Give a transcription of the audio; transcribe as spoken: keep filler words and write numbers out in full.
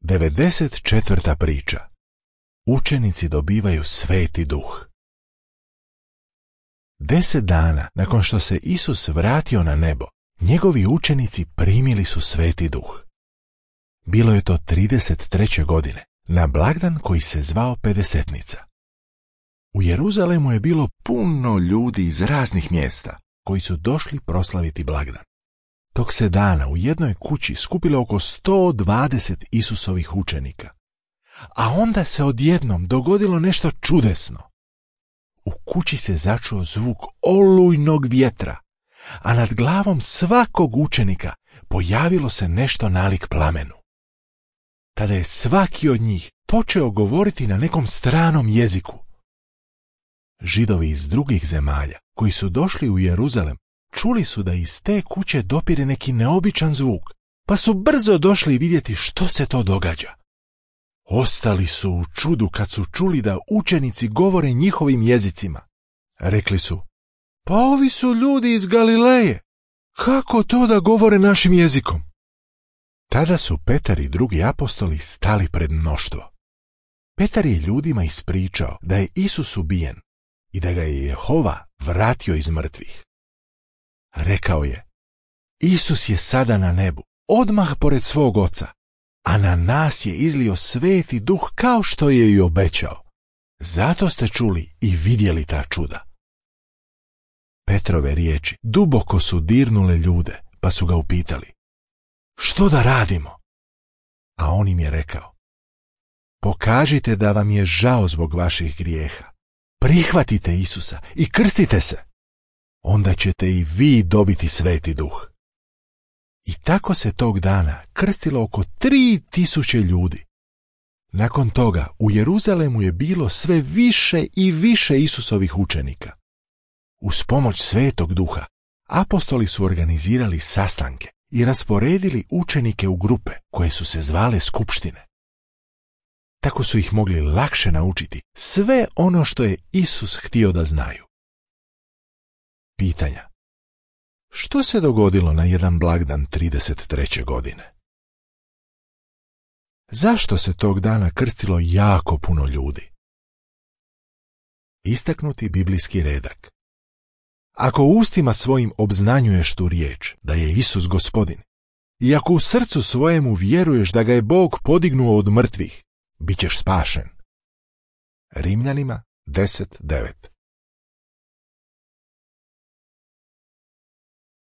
devedeset četvrta priča. Učenici dobivaju Sveti Duh. Deset dana nakon što se Isus vratio na nebo, njegovi učenici primili su Sveti Duh. Bilo je to trideset treće godine, na blagdan koji se zvao Pedesetnica. U Jeruzalemu je bilo puno ljudi iz raznih mjesta koji su došli proslaviti blagdan. Tog se dana u jednoj kući skupilo oko sto dvadeset Isusovih učenika. A onda se odjednom dogodilo nešto čudesno. U kući se začuo zvuk olujnog vjetra, a nad glavom svakog učenika pojavilo se nešto nalik plamenu. Tada je svaki od njih počeo govoriti na nekom stranom jeziku. Židovi iz drugih zemalja koji su došli u Jeruzalem čuli su da iz te kuće dopire neki neobičan zvuk, pa su brzo došli vidjeti što se to događa. Ostali su u čudu kad su čuli da učenici govore njihovim jezicima. Rekli su: pa ovi su ljudi iz Galileje, kako to da govore našim jezikom? Tada su Petar i drugi apostoli stali pred mnoštvo. Petar je ljudima ispričao da je Isus ubijen i da ga je Jehova vratio iz mrtvih. Rekao je: Isus je sada na nebu, odmah pored svog oca, a na nas je izlio Sveti Duh kao što je i obećao. Zato ste čuli i vidjeli ta čuda. Petrove riječi duboko su dirnule ljude, pa su ga upitali: što da radimo? A on im je rekao: pokažite da vam je žao zbog vaših grijeha. Prihvatite Isusa i krstite se. Onda ćete i vi dobiti Sveti Duh. I tako se tog dana krstilo oko tri tisuće ljudi. Nakon toga u Jeruzalemu je bilo sve više i više Isusovih učenika. Uz pomoć Svetog Duha apostoli su organizirali sastanke i rasporedili učenike u grupe koje su se zvale skupštine. Tako su ih mogli lakše naučiti sve ono što je Isus htio da znaju. Pitanja. Što se dogodilo na jedan blagdan trideset treće godine? Zašto se tog dana krstilo jako puno ljudi? Istaknuti biblijski redak. Ako ustima svojim obznanjuješ tu riječ da je Isus Gospodin, i ako u srcu svojemu vjeruješ da ga je Bog podignuo od mrtvih, bit ćeš spašen. Rimljanima deset devet.